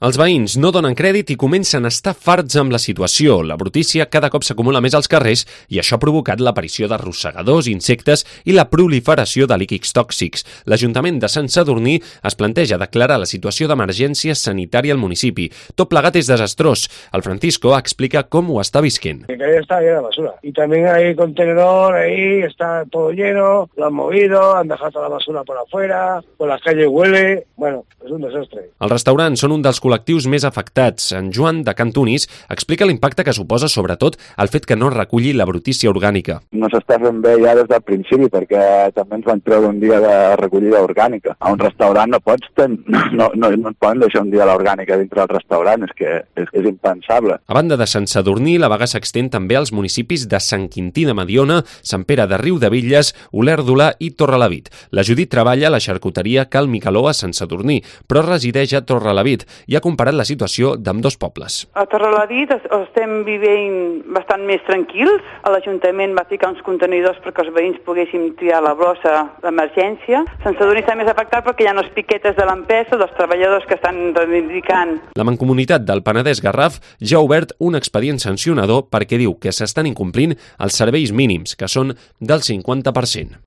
Els veïns no donen crèdit i comencen a estar farts amb la situació. La brutícia cada cop s'acumula més als carrers i això ha provocat l'aparició de rosegadors, insectes i la proliferació de líquids tòxics. L'Ajuntament de Sant Sadurní es planteja declarar la situació d'emergència sanitària al municipi. Tot plegat és desastrós. El Francisco explica com ho està visquent. Que está llena de basura. Y también hay contenedor ahí, está todo lleno, lo han movido, han dejado toda la basura por afuera, por las calles huele, bueno, es un desastre. Els restaurants són un dels col·lectius més afectats. En Joan de Cantunis explica l'impacte que suposa sobretot el fet que no reculli la brutícia orgànica. No s'està fent bé ja des del principi perquè també ens van treure un dia de recollida orgànica. A un restaurant no et poden deixar un dia l'orgànica dintre del restaurant, és que és impensable. A banda de Sant Sadurní, la vaga s'extén també als municipis de Sant Quintí de Mediona, Sant Pere de Riudebitlles, Olèrdola i Torrelavit. La Judit treballa a la xarcuteria Cal Micaló a Sant Sadurní, però resideix a Torrelavit i ha comparat la situació d'ambdós pobles. A Torrelavit estem vivint bastant més tranquils. L'Ajuntament va ficar uns contenidors perquè els veïns poguéssim triar la brossa d'emergència. Sant Sadurní està més afectat perquè hi ha unes piquetes de l'empresa, dels treballadors que estan reivindicant. La Mancomunitat del Penedès Garraf ja ha obert un expedient sancionador perquè diu que s'estan incomplint els serveis mínims, que són del 50%.